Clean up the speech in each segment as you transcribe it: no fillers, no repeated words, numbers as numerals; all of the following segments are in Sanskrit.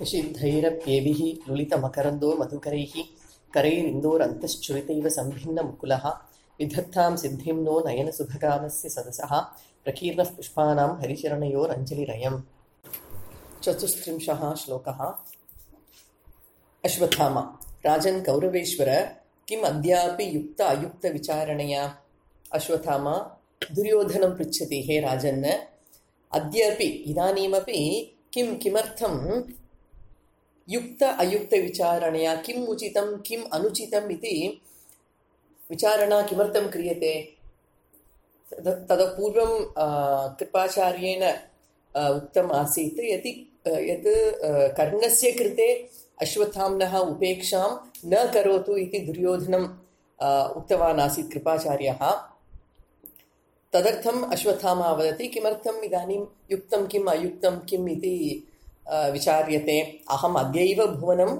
निषिद्धैरप्येभिः लुलितमकरन्दो मधुकरैः करैरिन्दोरन्तश्चुरितैव सम्भिन्नमुकुलः विधत्तां सिद्धिं नो नयनसुभगामस्य सदसः प्रकीर्णः पुष्पाणां हरिचरणयोरञ्जलिरयम्। चतुस्त्रिंशः श्लोकः। अश्वत्थामा राजन् कौरवेश्वर किम् अद्यापि युक्त अयुक्तविचारणया। अश्वत्थामा दुर्योधनं पृच्छति, हे राजन्, अद्यापि इदानीमपि किमर्थं युक्त अयुक्तविचारणया किम् उचितं किम् अनुचितम् इति विचारणा किमर्थं क्रियते? ततः पूर्वं कृपाचार्येण उक्तम् आसीत् यत् कर्णस्य कृते अश्वत्थाम्नः उपेक्षां न करोतु इति दुर्योधनम् उक्तवान् आसीत् कृपाचार्यः। तदर्थम् अश्वत्थामा वदति, किमर्थम् इदानीं युक्तं किम् अयुक्तं किम् इति विचार्यते। अहम् अद्यैव भुवनम्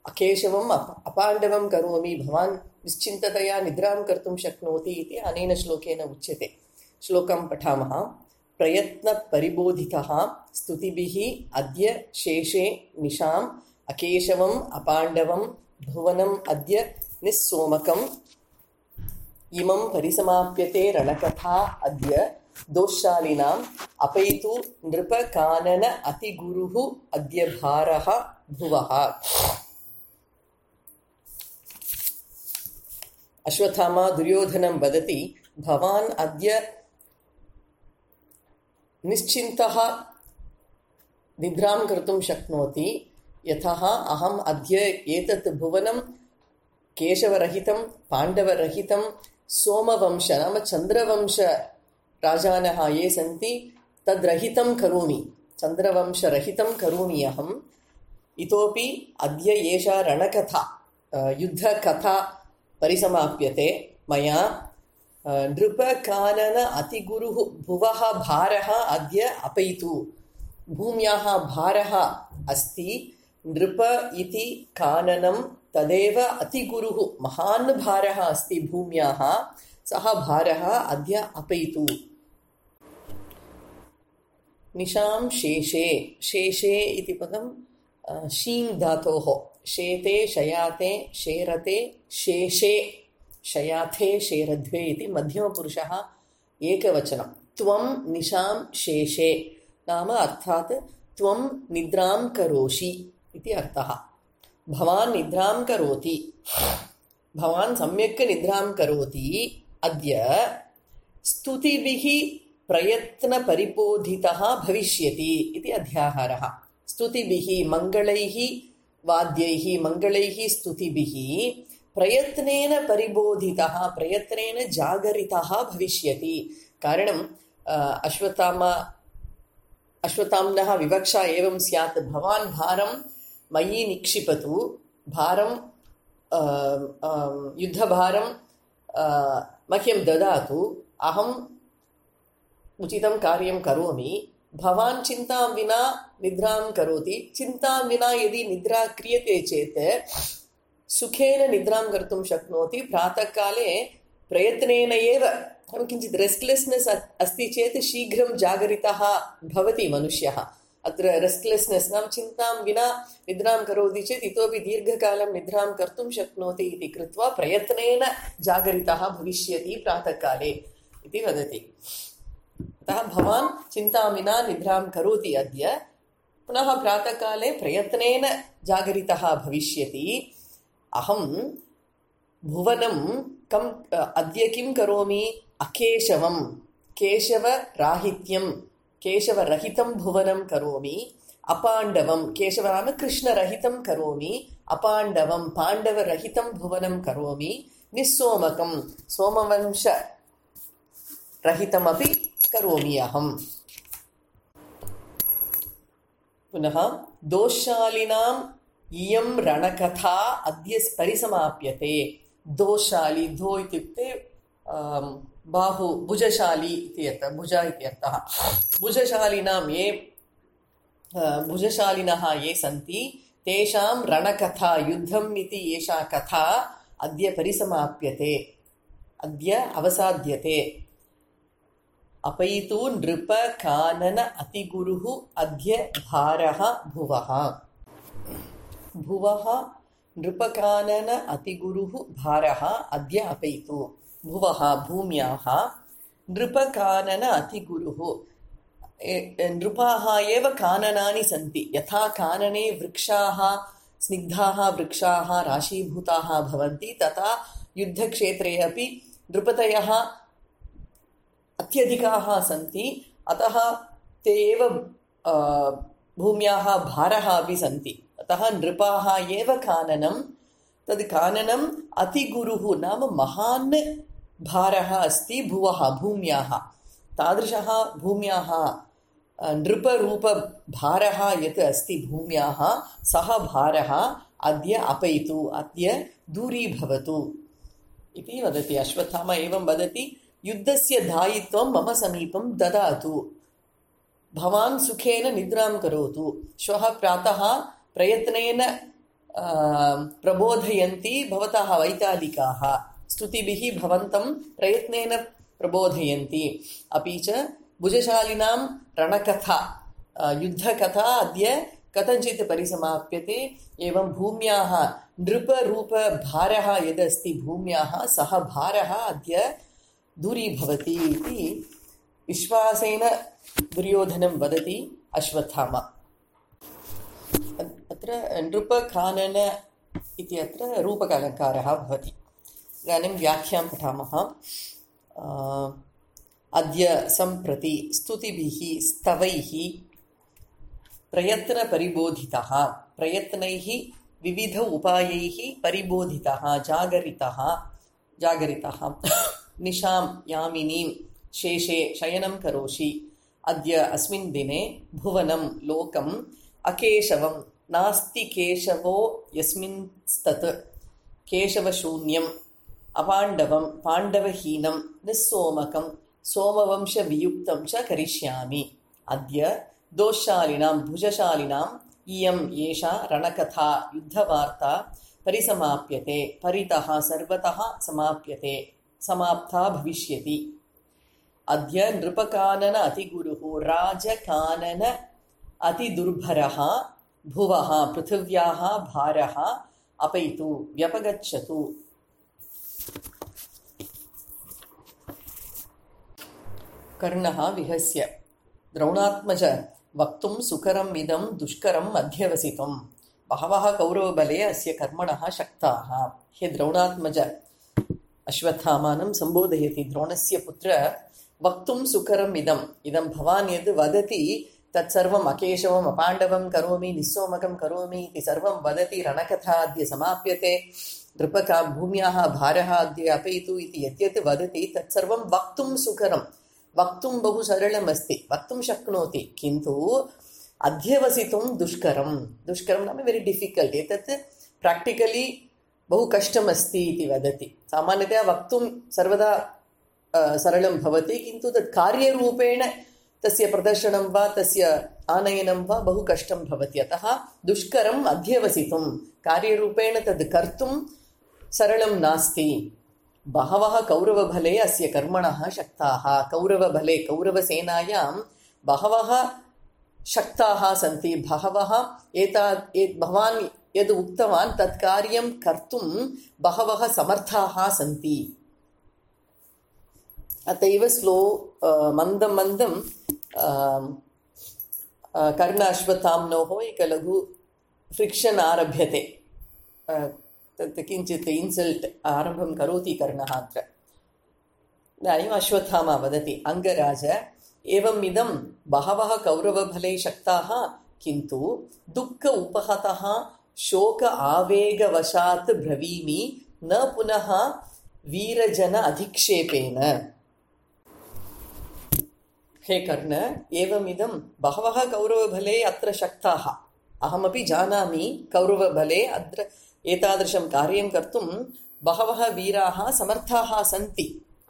अकेशवम् अपाण्डवं करोमि, भवान् निश्चिन्ततया निद्रां कर्तुं शक्नोति इति अनेन श्लोकेन उच्यते। श्लोकं पठामः। प्रयत्नपरिबोधितः स्तुतिभिः अद्य शेषे निशाम् अकेशवम् अपाण्डवं भुवनम् अद्य निस्सोमकम् इमं परिसमाप्यते रणकथा अद्य दोषशालिनाम् अपैतु नृपकानन अतिगुरुः अद्य भारः भुवः। अश्वत्थामा दुर्योधनं वदति, भवान् अद्य निश्चिन्तः निद्रां कर्तुं शक्नोति, यतः अहम् अद्य एतत् भुवनं केशवरहितं पाण्डवरहितं सोमवंश नाम चन्द्रवंश राजानः ये सन्ति तद्रहितं करोमि, चन्द्रवंशरहितं करोमि अहम्। इतोपि अद्य एषा रणकथा युद्धकथा परिसमाप्यते मया। नृपकानन अतिगुरुः भुवः भारः अद्य अपैतु। भूम्याः भारः अस्ति, नृप इति काननं तदेव अतिगुरुः महान् भारः अस्ति भूम्याः, सः भारः अद्य अपैतु। निशां शेषे, शेषे इति पदं शीङ् धातोः, शेते शयाते शेरते शेषे शयाथे शेरध्वे इति मध्यमपुरुषः एकवचनं। त्वं निशां शेषे नाम अर्थात् त्वं निद्रां करोषि इति अर्थः। भवान् निद्रां करोति, भवान् सम्यक् निद्रां करोति। अद्य स्तुतिभिः प्रयत्नपरिबोधितः भविष्यति इति अध्याहारः। स्तुतिभिः मङ्गलैः वाद्यैः मङ्गलैः स्तुतिभिः प्रयत्नेन परिबोधितः, प्रयत्नेन जागरितः भविष्यति। कारणम् अश्वत्थाम्नः विवक्षा एवं स्यात्, भवान् भारं मयि निक्षिपतु, भारं युद्धभारं मह्यं ददातु, अहम् उचितं कार्यं करोमि। भवान् चिन्तां विना निद्रां करोति, चिन्तां विना यदि निद्रा क्रियते चेत् सुखेन निद्रां कर्तुं शक्नोति। प्रातःकाले प्रयत्नेन एव किञ्चित् रेस्ट्लेस्नेस् अस्ति चेत् शीघ्रं जागरितः भवति मनुष्यः। अत्र रेस्ट्लेस्नेस् नाम चिन्तां विना निद्रां करोति चेत् इतोपि दीर्घकालं निद्रां कर्तुं शक्नोति इति कृत्वा प्रयत्नेन जागरितः भविष्यति प्रातःकाले इति वदति। अतः भवान् चिन्तां विना निद्रां करोति अद्य, पुनः प्रातःकाले प्रयत्नेन जागरितः भविष्यति। अहं भुवनं अद्य किं करोमि? अकेशवं, केशवराहित्यं, केशवरहितं भुवनं करोमि। अपाण्डवं, केशव नाम कृष्णरहितं करोमि। अपाण्डवं, पाण्डवरहितं भुवनं करोमि। निस्सोमकं, सोमवंशरहितमपि करोमि अहम्। पुनः दोषशालिनाम् इयं रणकथा अद्य परिसमाप्यते। दोषशाली, दो इत्युक्ते बाहु, भुजशाली इति अर्थः, भुज इति अर्थः। भुजशालिनां ये भुजशालिनः ये सन्ति तेषां रणकथा, युद्धम् इति एषा कथा अद्य परिसमाप्यते, अद्य अवसाद्यते। अपैतु नृप कानन अतिगुरुः अद्य भारः भुवः। भुवः नृपकानन अतिगुरुः भारः अद्य अपैतु। भुवः भूम्याः नृपकानन अतिगुरुः नृपाः एव काननानि सन्ति। यथा कानने वृक्षाः स्निग्धाः वृक्षाः राशीभूताः भवन्ति तथा युद्धक्षेत्रे अपि नृपतयः अत्यधिकाः सन्ति। अतः ते एव भूम्याः भारः अपि सन्ति। अतः नृपाः एव काननं तद् काननम् अतिगुरुः नाम महान् भारः अस्ति भुवः भूम्याः। तादृशः भूम्याः नृपरूपभारः यत् अस्ति भूम्याः सः भारः अद्य अपैतु अद्य दूरीभवतु इति वदति। अश्वत्थामा एवं वदति, युद्धस्य दायित्वं मम समीपं ददातु, भवान् सुखेन निद्रां करोतु, श्वः प्रातः प्रयत्नेन प्रबोधयन्ति भवतः वैतालिकाः, स्तुतिभिः भवन्तं प्रयत्नेन प्रबोधयन्ति। अपि च भुजशालिनां रणकथा युद्धकथा अद्य कथञ्चित् परिसमाप्यते। एवं भूम्याः नृपरूपभारः यदस्ति भूम्याः सः भारः अद्य दूरीभवति इति विश्वासेन दुर्योधनं वदति अश्वत्थामा। अत्र नृपकानन इति अत्र रूपकालङ्कारः भवति। इदानीं व्याख्यां पठामः। अद्य सम्प्रति स्तुतिभिः स्तवैः प्रयत्नपरिबोधितः, प्रयत्नैः विविध उपायैः परिबोधितः जागरितः निशां यामिनीं शेषे शयनं करोषि। अद्य अस्मिन् दिने भुवनं लोकम् अकेशवं नास्ति केशवो यस्मिंस्तत् केशवशून्यम् अपाण्डवं पाण्डवहीनं निस्सोमकं सोमवंशवियुक्तं च करिष्यामि। अद्य दोषशालिनां भुजशालिनाम् इयम् एषा रणकथा युद्धवार्ता परिसमाप्यते, परितः सर्वतः समाप्यते, समाप्ता भविष्यति। अद्य नृपकानन अतिगुरुः राजकानन अतिदुर्भरः भुवः पृथिव्याः भारः अपैतु व्यपगच्छतु। कर्णः विहस्य द्रोणात्मज वक्तुं सुकरम् इदं दुष्करम् अध्यवसितुं बहवः कौरवबले अस्य कर्मणः शक्ताः। हे द्रोणात्मज अश्वत्थामानं सम्बोधयति। द्रोणस्य पुत्र वक्तुं सुकरम् इदं भवान् यद् वदति तत्सर्वम् अकेशवम् अपाण्डवं करोमि निस्सोमकं करोमि इति सर्वं वदति। रणकथा अद्य समाप्यते, नृपका भूम्याः भारः अद्य अपैतु इति यद्यत् वदति तत्सर्वं वक्तुं सुकरं, वक्तुं बहु सरलम् अस्ति, वक्तुं शक्नोति, किन्तु अध्यवसितुं दुष्करं नाम वेरि डिफिकल्ट्। एतत् प्राक्टिकलि बहु कष्टमस्ति इति वदति। सामान्यतया वक्तुं सर्वदा सरलं भवति, किन्तु तत् कार्यरूपेण तस्य प्रदर्शनं वा तस्य आनयनं वा बहु कष्टं भवति। अतः दुष्करम् अध्यवसितुं, कार्यरूपेण तद् कर्तुं सरलं नास्ति। बहवः कौरवबले अस्य कर्मणः शक्ताः। कौरवबले कौरवसेनायां बहवः शक्ताः सन्ति। बहवः भवान् यद् उक्तवान् तत् कार्यं कर्तुं बहवः समर्थाः सन्ति। अत एव मन्दं मन्दं कर्ण अश्वत्थाम्नोः एक लघु फ्रिक्षन् आरभ्यते। तत् किञ्चित् इन्सल्ट् आरम्भं करोति कर्णः अत्र। इदानीम् अश्वत्थामा वदति, अङ्गराज एवम् इदं बहवः कौरवबले शक्ताः, किन्तु दुःख उपहतः शोक आवेगवशात् ब्रवीमि न पुनः वीरजन अधिक्षेपेन। हे कर्ण, एवमिदं बहवः कौरवबले अत्र शक्ताः, अहमपि जानामि। कौरवबले अत्र एतादृशं कार्यं कर्तुं बहवः वीराः समर्थाः सन्ति,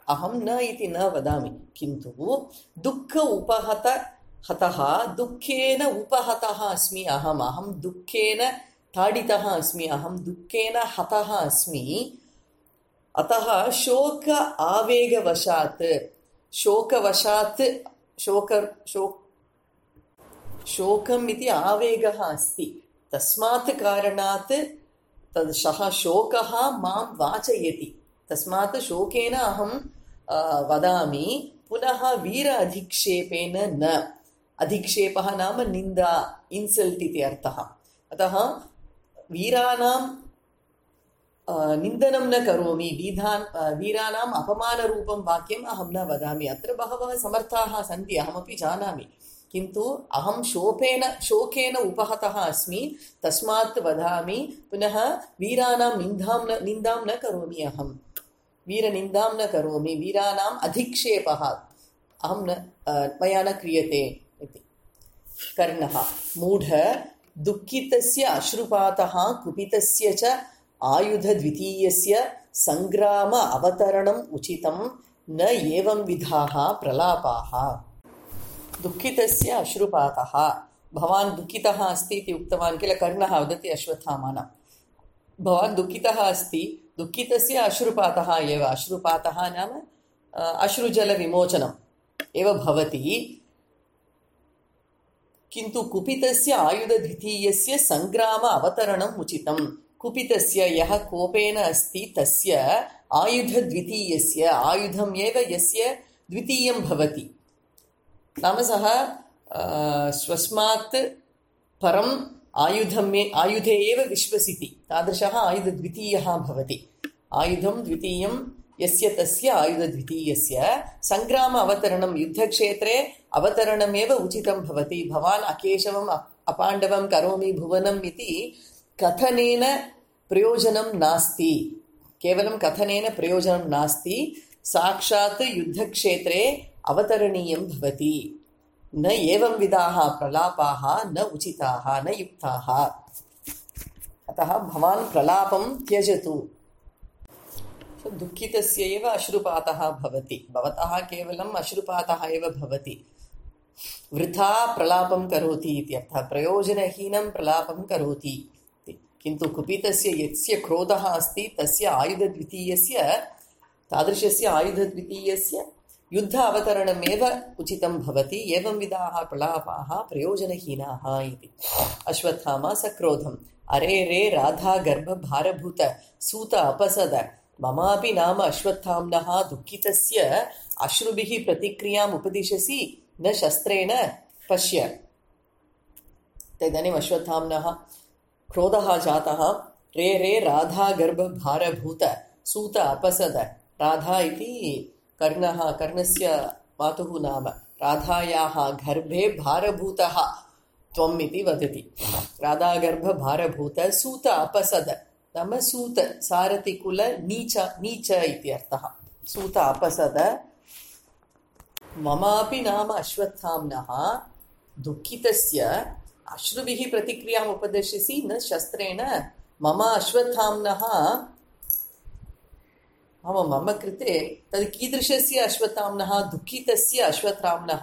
अहं न इति न वदामि, किन्तु दुःख उपहतः दुःखेन उपहतः अस्मि अहं दुःखेन ताडितः अस्मि, अहं दुःखेन हतः अस्मि। अतः शोक आवेगवशात्, शोकवशात्, शोकम् इति आवेगः अस्ति, तस्मात् कारणात् तद् सः शोकः मां वाचयति, तस्मात् शोकेन अहं वदामि। पुनः वीर अधिक्षेपेन न, अधिक्षेपः नाम निन्दा, इन्सल्ट् इति अर्थः। अतः वीराणां निन्दनं न करोमि, वीराणाम् अपमानरूपं वाक्यम् अहं न वदामि। अत्र बहवः समर्थाः सन्ति, अहमपि जानामि, किन्तु अहं शोकेन उपहतः अस्मि, तस्मात् वदामि। पुनः वीराणां निन्दां न करोमि, अहं वीरनिन्दां न करोमि, वीराणाम् अधिक्षेपः अहं मया न क्रियते इति। कर्णः मूढ दुःखितस्य अश्रुपातः कुपितस्य च आयुधद्वितीयस्य सङ्ग्राम अवतरणम् उचितं न एवं विधाः प्रलापाः। दुःखितस्य अश्रुपातः, भवान् दुःखितः अस्ति इति उक्तवान् किल, कर्णः वदति अश्वत्थामानं, भवान् दुःखितः अस्ति, दुःखितस्य अश्रुपातः एव, अश्रुपातः नाम अश्रुजलविमोचनम् एव भवति, किन्तु कुपितस्य आयुधद्वितीयस्य सङ्ग्राम अवतरणम् उचितम्। कुपितस्य, यः कोपेन अस्ति, तस्य आयुधद्वितीयस्य, आयुधम् एव यस्य द्वितीयं भवति, नाम सः स्वस्मात् परम् आयुधे एव विश्वसिति, तादृशः आयुधद्वितीयः भवति। आयुधं द्वितीयं यस्य तस्य आयुधद्वितीयस्य सङ्ग्राम अवतरणं, युद्धक्षेत्रे अवतरणमेव उचितं भवति। भवान् अकेशवम् अपाण्डवं करोमि भुवनम् इति कथनेन प्रयोजनं नास्ति, केवलं कथनेन प्रयोजनं नास्ति, साक्षात् युद्धक्षेत्रे अवतरणीयं भवति। न एवं विधाः प्रलापाः न उचिताः न युक्ताः। अतः भवान् प्रलापं त्यजतु। दुःखितस्य एव अश्रुपातः भवति, भवतः केवलम् अश्रुपातः एव भवति, वृथा प्रलापं करोति इत्यर्थः, प्रयोजनहीनं प्रलापं करोति। किन्तु कुपितस्य यस्य क्रोधः अस्ति, तस्य आयुधद्वितीयस्य, तादृशस्य आयुधद्वितीयस्य युद्ध अवतरणमेव उचितं भवति। एवं विधाः प्रलापाः प्रयोजनहीनाः इति। अश्वत्थामा सक्रोधम् अरे रे राधा गर्भ भारभूत सूत अपसद ममापि नाम अश्वत्थाम्नः दुःखितस्य अश्रुभिः प्रतिक्रियाम् उपदिशसि न शस्त्रेण पश्य। तदानीम् अश्वत्थाम्नः क्रोधः जातः। रे रे राधा गर्भ भारभूत सूत अपसद। राधा इति कर्णस्य मातुः नाम। राधायाः गर्भे भारभूतः त्वम् इति वदति। राधागर्भ भारभूत सूत अपसद नाम सूत सारथिकुल नीच इति अर्थः। सूत अपसद ममापि नाम अश्वत्थाम्नः दुःखितस्य अश्रुभिः प्रतिक्रियाम् उपदिशसि न शस्त्रेण। मम अश्वत्थाम्नः मम कृते तद् कीदृशस्य अश्वत्थाम्नः? दुःखितस्य अश्वत्थाम्नः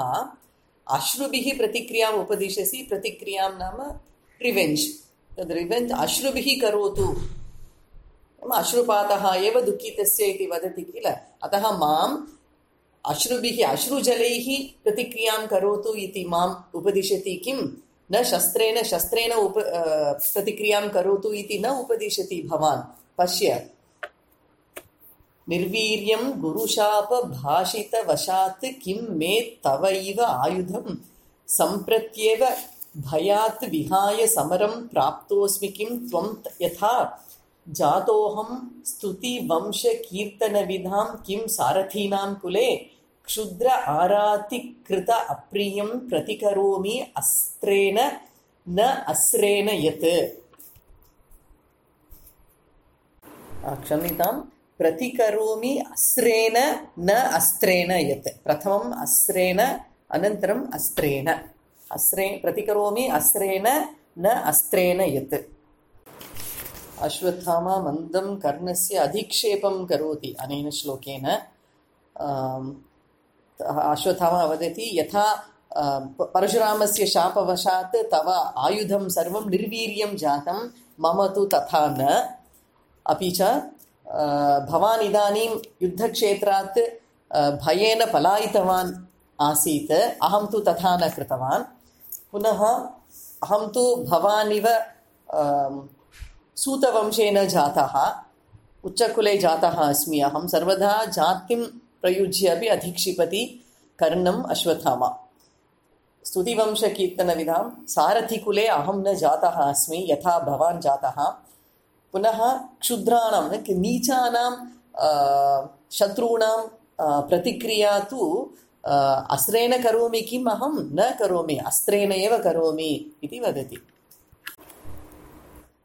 अश्रुभिः प्रतिक्रियाम् उपदिशसि। प्रतिक्रियां नाम रिवेञ्ज्। तद् रिवेञ्ज् अश्रुभिः करोतु। अश्रुपातः एव दुःखितस्य इति वदति किल। अतः माम् अश्रुभिः अश्रुजलैः प्रतिक्रियां करोतु इति माम् उपदिशति किं? न शस्त्रेण प्रतिक्रियां करोतु इति न उपदिशति भवान्। पश्य, निर्वीर्यं गुरुशाप भाषितवशात् किं मे तवैव आयुधं सम्प्रत्येव भयात् विहाय समरं प्राप्तोऽस्मि किं त्वं यथा जातोऽहं स्तुतिवंशकीर्तनविधां किं सारथीनां कुले क्षुद्र आरातिकृत अप्रियं प्रतिकरोमि अस्त्रेण न अस्त्रेण यत्। क्षम्यताम्, प्रतिकरोमि अस्त्रेण न अस्त्रेण यत्। प्रथमम् अस्त्रेण अनन्तरम् अस्त्रेण। प्रतिकरोमि अस्त्रेण न अस्त्रेण यत्। अश्वत्थामा मन्दं कर्णस्य अधिक्षेपं करोति अनेन श्लोकेन। अश्वत्थामा वदति यथा परशुरामस्य शापवशात् तव आयुधं सर्वं निर्वीर्यं जातं, मम तु तथा न। अपि च भवान् इदानीं युद्धक्षेत्रात् भयेन पलायितवान् आसीत्, अहं तु तथा न कृतवान्। पुनः अहं तु भवानिव सूतवंशेन जातः, उच्चकुले जातः अस्मि अहं, सर्वदा जातिं प्रयुज्य अपि अधिक्षिपति कर्णम् अश्वत्थामा। स्तुतिवंशकीर्तनविधां सारथिकुले अहं न जातः अस्मि यथा भवान् जातः। पुनः क्षुद्राणां नीचानां शत्रूणां प्रतिक्रिया तु अस्त्रेण करोमि किम्, अहं न करोमि, अस्त्रेण एव करोमि इति वदति।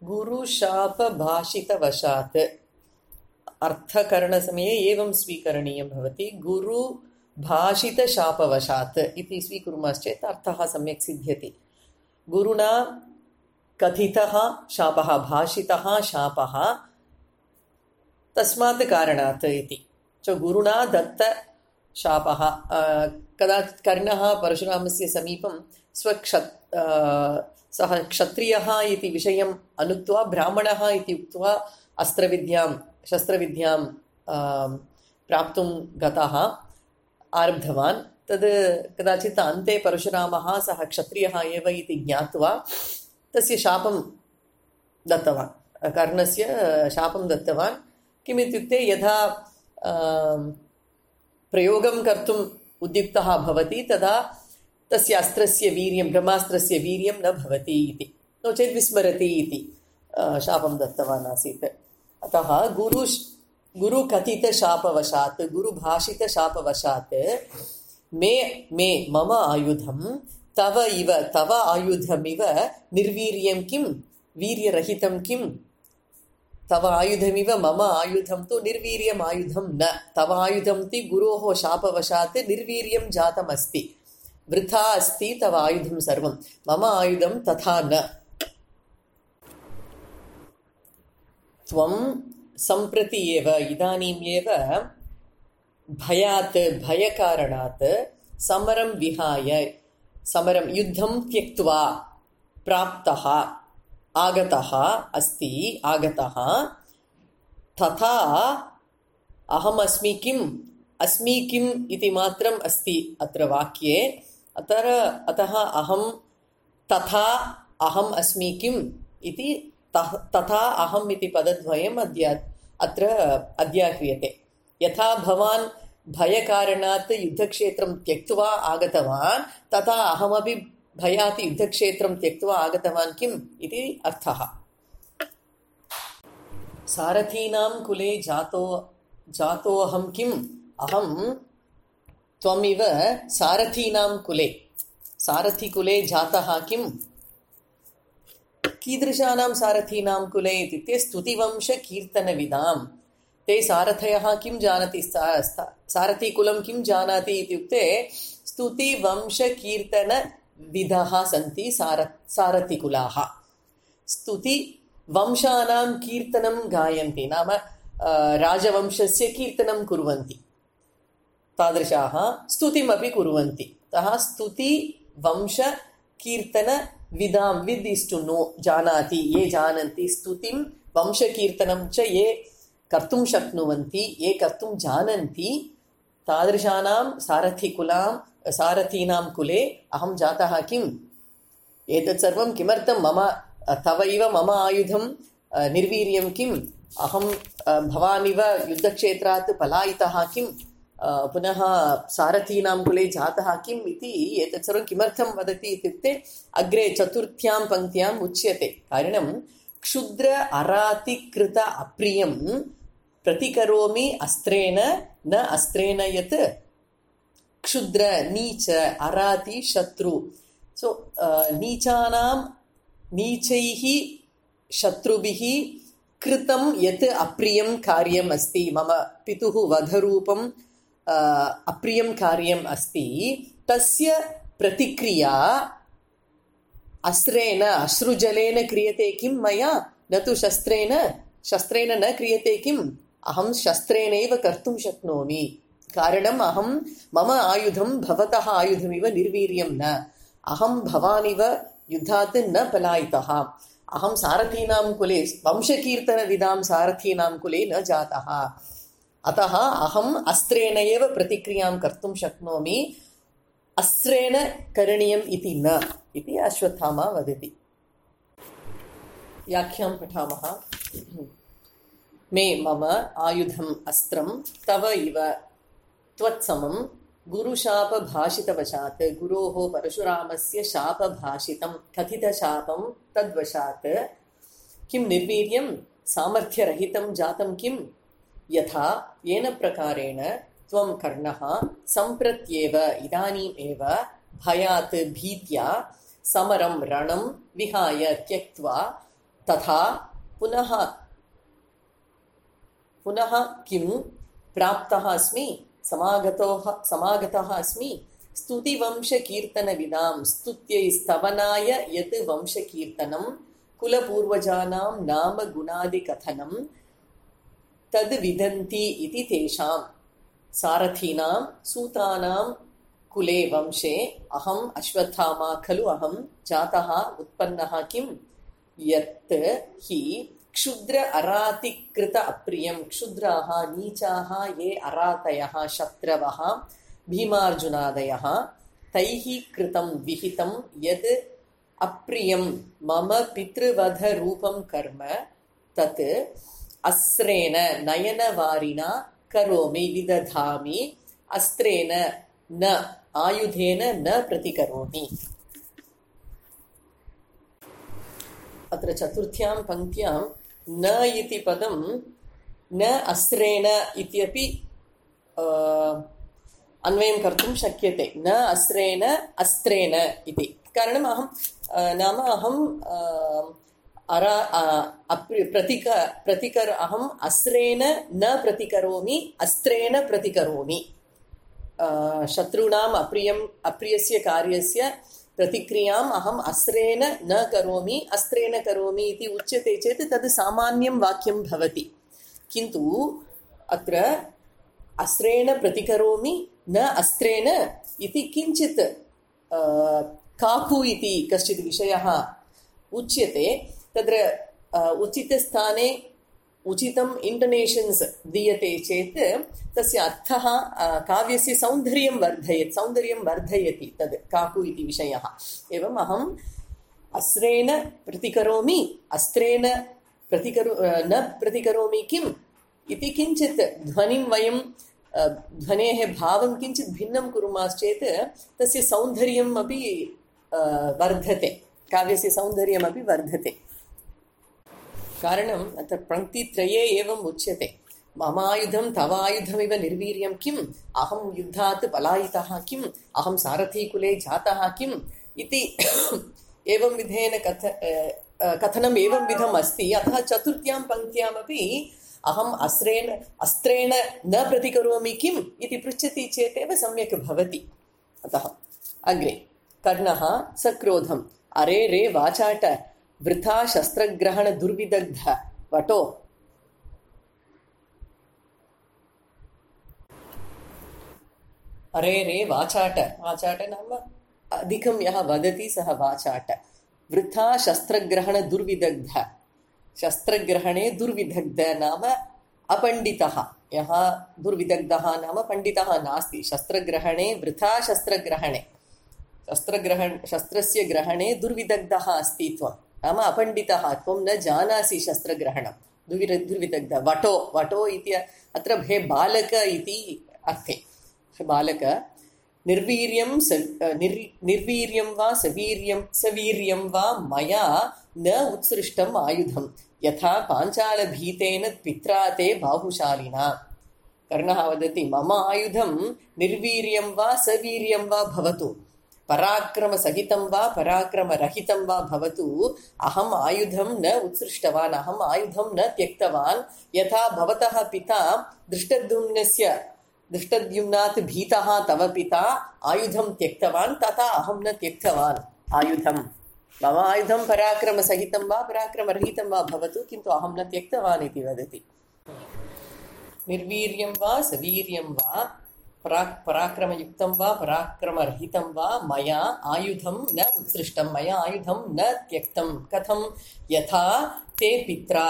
गुरुशापभाषितवशात् अर्थकरणसमये एवं स्वीकरणीयं भवति। गुरुभाषितशापवशात् इति स्वीकुर्मश्चेत् अर्थः सम्यक् सिद्ध्यति। गुरुणा कथितः शापः, भाषितः शापः, तस्मात् कारणात् इति। गुरुणा दत्त शापः। कदाचित् कर्णः परशुरामस्य समीपं सः क्षत्रियः इति विषयम् अनुक्त्वा ब्राह्मणः इति उक्त्वा शस्त्रविद्यां प्राप्तुं गतः आरब्धवान्। तद् कदाचित् अन्ते परशुरामः सः क्षत्रियः एव इति ज्ञात्वा तस्य शापं दत्तवान्, कर्णस्य शापं दत्तवान्। किमित्युक्ते यथा प्रयोगं कर्तुम् उद्युक्तः भवति तदा तस्य अस्त्रस्य वीर्यं, ब्रह्मास्त्रस्य वीर्यं न भवति इति, नो चेत् विस्मरति इति शापं दत्तवान् आसीत्। अतः गुरुकथितशापवशात्, गुरुभाषितशापवशात् मे मम आयुधं तव आयुधमिव निर्वीर्यं किं, वीर्यरहितं किं, तव आयुधमिव मम आयुधं तु निर्वीर्यम् आयुधं न, तव आयुधं तु गुरोः शापवशात् निर्वीर्यं जातमस्ति, वृथा अस्ति तव आयुधं सर्वं, मम आयुधं तथा न। त्वं सम्प्रति एव, इदानीम् एव भयकारणात् समरं विहाय, समरं युद्धं त्यक्त्वा प्राप्तः आगतः तथा अहमस्मि किम्, अस्मि किम् इति मात्रम् अस्ति अत्र वाक्ये। अतः अहं तथा अहम् अस्मि किम् इति, तथा अहम् इति पदद्वयम् अत्र अध्याह्रियते। यथा भवान् भयकारणात् युद्धक्षेत्रं त्यक्त्वा आगतवान्, तथा अहमपि भयात् युद्धक्षेत्रं त्यक्त्वा आगतवान् किम् इति अर्थः। सारथीनां कुले जातोऽहं किम्, अहं त्वमिव सारथीनां कुले, सारथिकुले जातः किम्। कीदृशानां सारथीनां कुले इत्युक्ते स्तुतिवंशकीर्तनविदां। ते सारथयः किं जानति, सारथीकुलं किं जानाति इत्युक्ते स्तुतिवंशकीर्तनविदः सन्ति सारथिकुलाः। स्तुतिवंशानां कीर्तनं गायन्ति, नाम राजवंशस्य कीर्तनं कुर्वन्ति, तादृशाः स्तुतिमपि कुर्वन्ति। अतः स्तुतिवंशकीर्तनविदां, विद् इस् टु नो, जानाति, ये जानन्ति, स्तुतिं वंशकीर्तनं च ये कर्तुं शक्नुवन्ति, ये कर्तुं जानन्ति, तादृशानां सारथीनां कुले अहं जातः किम्। एतत् सर्वं किमर्थं, तव इव मम आयुधं निर्वीर्यं किम्, अहं भवानिव युद्धक्षेत्रात् पलायितः किम्, पुनः सारथीनां कुले जातः किम् इति एतत् सर्वं किमर्थं वदति इत्युक्ते अग्रे चतुर्थ्यां पङ्क्त्याम् उच्यते। कारणं क्षुद्र अरातिकृत अप्रियं प्रतिकरोमि अस्त्रेण न अस्त्रेण यत्। क्षुद्र, नीच, अराति, शत्रु। नीचैः शत्रुभिः कृतं यत् अप्रियं कार्यम् अस्ति, मम पितुः वधरूपम् अप्रियं कार्यम् अस्ति, तस्य प्रतिक्रिया अस्त्रेण, अश्रुजलेन क्रियते किं मया, न तु शस्त्रेण न क्रियते किम्, अहं शस्त्रेणैव कर्तुं शक्नोमि। कारणम् मम आयुधं भवतः आयुधमिव निर्वीर्यं न, अहं भवानिव युद्धात् न पलायितः, अहं सारथीनां कुले, वंशकीर्तनविदां सारथीनां कुले न जातः, अतः अहम् अस्त्रेण एव प्रतिक्रियां कर्तुं शक्नोमि, अस्त्रेण करणीयम् इति न, इति अश्वत्थामा वदति। व्याख्यां पठामः। मे मम आयुधम् अस्त्रं तव इव त्वत्समं गुरुशापभाषितवशात् गुरोः परशुरामस्य शापभाषितं कथितशापं तद्वशात् किं निर्वीर्यं सामर्थ्यरहितं जातं किं यथा येन प्रकारेण त्वं कर्णः सम्प्रत्येव इदानीमेव भयात् भीत्या समरं रणं विहाय त्यक्त्वा तथा पुनः किं प्राप्तः अस्मि समागतः अस्मि स्तुतिवंशकीर्तनविदां स्तुत्यै स्तवनाय यत् वंशकीर्तनं कुलपूर्वजानां नाम गुणादिकथनं तद् विदन्ति इति तेषां सारथीनां सूतानां कुले वंशे अहम् अश्वत्थामा खलु अहं जातः उत्पन्नः किं यत् हि क्षुद्र अरातिकृत अप्रियं क्षुद्राः नीचाः ये अरातयः शत्रवः भीमार्जुनादयः तैः कृतं विहितं यद् अप्रियं मम पितृवधरूपं कर्म तत् अस्त्रेण नयनवारिणा करोमि विदधामि अस्त्रेण न आयुधेन न प्रतिकरोमि। अत्र चतुर्थ्यां पङ्क्त्यां न इति पदं न अस्त्रेण इत्यपि अन्वयं कर्तुं शक्यते। न अस्त्रेण अस्त्रेण इति कारणम् अहं अहम् अस्त्रेण न प्रतिकरोमि अस्त्रेण प्रतिकरोमि। शत्रूणाम् अप्रियस्य कार्यस्य प्रतिक्रियाम् अहम् अस्त्रेण न करोमि अस्त्रेण करोमि इति उच्यते चेत् तद् सामान्यं वाक्यं भवति। किन्तु अत्र अस्त्रेण प्रतिकरोमि न अस्त्रेण इति किञ्चित् काकु इति कश्चित् विषयः उच्यते। तत्र उचितस्थाने उचितम् इंटोनेशन्स् दीयते चेत् तस्य अर्थः काव्यस्य सौन्दर्यं वर्धयति तद् काकु इति विषयः। एवम् अहम् अस्त्रेण प्रतिकरोमि अस्त्रेण न प्रतिकरोमि किम् इति किञ्चित् ध्वनिं वयं ध्वनेः भावं किञ्चित् भिन्नं कुर्मश्चेत् तस्य सौन्दर्यम् अपि वर्धते, काव्यस्य सौन्दर्यमपि वर्धते। कारणम् अत्र पङ्क्तित्रये एवम् उच्यते मम आयुधं तव आयुधमिव निर्वीर्यं किम् अहं युद्धात् पलायितः किम् अहं सारथीकुले जातः किम् इति एवं विधेन कथनम् एवं विधम् अस्ति। अतः चतुर्थ्यां पङ्क्त्यामपि अहम् अस्त्रेण न प्रतिकरोमि किम् इति पृच्छति चेतेव सम्यक् भवति। अतः अग्रे कर्णः सक्रोधम् अरे रे वाचाट वृथा शस्त्रग्रहण दुर्विदग्ध वटो। अरे रे वाचाट नाम अधिकं यः वदति सः वाचाट। वृथा शस्त्रग्रहण दुर्विदग्ध शस्त्रग्रहणे दुर्विदग्ध नाम अपण्डितः। यः दुर्विदग्धः नाम पण्डितः नास्ति। शस्त्रग्रहणे वृथा शस्त्रस्य ग्रहणे दुर्विदग्धः अस्ति त्वं नाम अपण्डितः त्वं न जानासि शस्त्रग्रहणं दुर्विदग्ध। वटो इति अत्र हे बालक इति अर्थे। बालक निर्वीर्यं वा सवीर्यं वा मया न उत्सृष्टम् आयुधं यथा पाञ्चालभीतेन पित्रा ते बाहुशालिना। कर्णः वदति मम आयुधं निर्वीर्यं वा सवीर्यं वा भवतु पराक्रमसहितं वा पराक्रमरहितं वा भवतु अहम् आयुधं न उत्सृष्टवान् अहम् आयुधं न त्यक्तवान्। यथा भवतः पिता दृष्टद्युम्नात् भीतः तव पिता आयुधं त्यक्तवान् तथा अहं न त्यक्तवान् आयुधं। मम आयुधं पराक्रमसहितं वा पराक्रमरहितं वा भवतु किन्तु अहं न त्यक्तवान् इति वदति। निर्वीर्यं वा सवीर्यं वा पराक्रमयुक्तं वा पराक्रमरहितं वा मया आयुधं न उत्सृष्टं मया आयुधं न त्यक्तं। कथं यथा ते पित्रा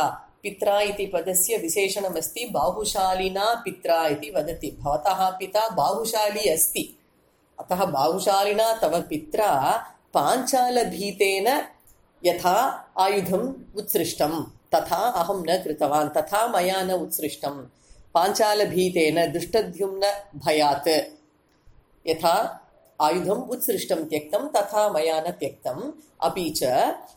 इति पदस्य विशेषणमस्ति बाहुशालिना पित्रा इति वदति। भवतः पिता बाहुशाली अस्ति अतः बाहुशालिना तव पित्रा पाञ्चालभीतेन यथा आयुधम् उत्सृष्टं तथा अहं न कृतवान्, तथा मया न उत्सृष्टं। पाञ्चालभीतेन दृष्टद्युम्न भयात् यथा आयुधम् उत्सृष्टं त्यक्तं तथा मया न त्यक्तम्। अपि च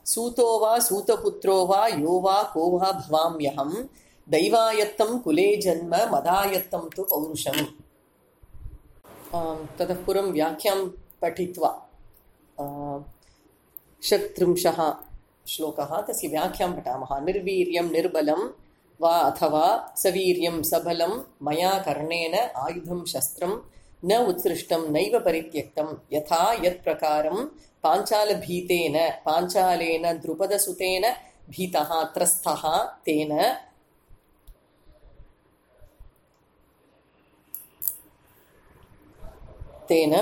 सूतो वा सूतपुत्रो वा यो वा को वा भवाम्यहं दैवायत्तं कुले जन्म मदायत्तं तु पौरुषम्। ततः पूर्वं व्याख्यां पठित्वा 36 श्लोकः, तस्य व्याख्यां पठामः। निर्वीर्यं निर्बलं वा अथवा सवीर्यं सबलं मया कर्णेन आयुधं शस्त्रं न उत्सृष्टं नैव परित्यक्तं। यथा यत्प्रकारं पाञ्चालेन द्रुपदसुतेन भीतः त्रस्तः तेन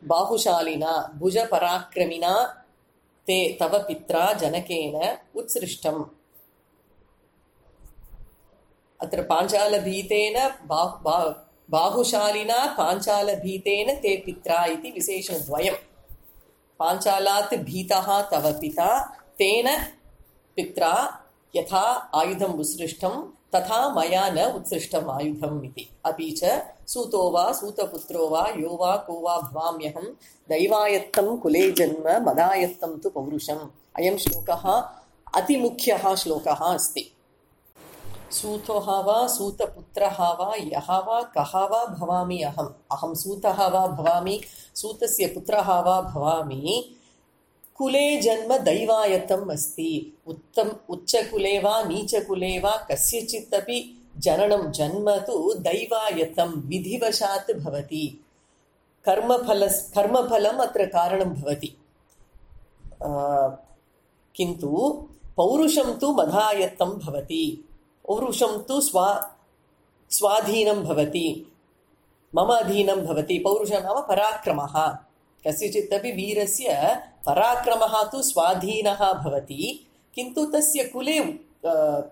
बाहुशालिना भुजपराक्रमिना ते तव पित्रा जनकेन उत्सृष्टम्। अत्र पाञ्चालभीतेन बाहुशालिना पाञ्चालभीतेन ते पित्रा इति विशेषणद्वयम्। पाञ्चालात् भीतः तव पिता तेन पित्रा यथा आयुधम् उत्सृष्टं तथा मया न उत्सृष्टम् आयुधम् इति। अपि च सूतो वा सूतपुत्रो वा यो वा को वा भवाम्यहं दैवायत्तं कुले जन्म मदायत्तं तु पौरुषम्। अयं श्लोकः अतिमुख्यः श्लोकः अस्ति। सूतः वा सूतपुत्रः वा यः वा कः वा भवामि अहं सूतः वा भवामि, सूतस्य पुत्रः वा भवामि, कुले जन्म दैवायत्तम् अस्ति। उच्चकुले वा नीचकुले वा कस्यचिदपि जन्म तु दैवायत्तं विधिवशात् भवति। कर्मफलम् अत्र कारणं भवति, किन्तु पौरुषं तु मदायत्तं भवति। पौरुषं तु स्वाधीनं भवति, मम अधीनं भवति। पौरुषं नाम पराक्रमः। कस्यचित् अपि वीरस्य पराक्रमः तु स्वाधीनः भवति, किन्तु तस्य कुले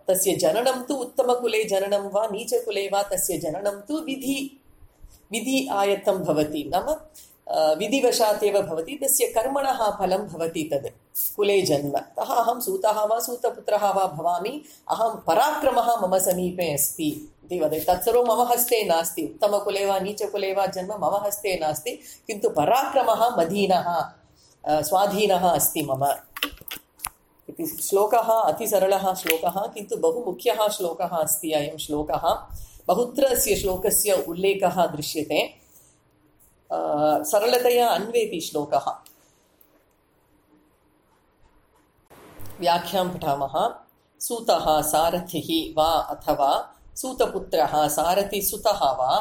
तस्य जननं तु उत्तमकुले जननं वा नीचकुले वा तस्य जननं तु विधि आयत्तं भवति, नाम विधिवशात् एव भवति। तस्य कर्मणः फलं भवति तद् कुले जन्म। अतः अहं सूतः वा सूतपुत्रः वा भवामि, अहं पराक्रमः मम समीपे अस्ति इति वदति। तत्सर्वं मम हस्ते नास्ति। उत्तमकुले वा नीचकुले वा जन्म मम हस्ते नास्ति, किन्तु पराक्रमः मदीनः स्वाधीनः अस्ति मम इति। श्लोकः अतिसरलः श्लोकः, किन्तु बहु मुख्यः श्लोकः अस्ति अयं श्लोकः। बहुत्र अस्य श्लोकस्य उल्लेखः दृश्यते। सरलतया अन्वेति श्लोकः। व्याख्यां पठामः। सूतः सारथिः वा अथवा सूतपुत्रः सारथिसुतः वा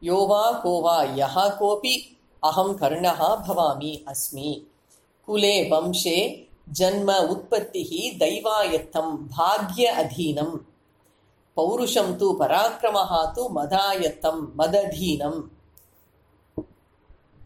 यो वा को वा यः कोऽपि अहं कर्णः भवामि अस्मि। कुले वंशे जन्म उत्पत्तिः दैवायत्तं भाग्य अधीनं। पौरुषं तु पराक्रमः तु मदायत्तं मदधीनम्।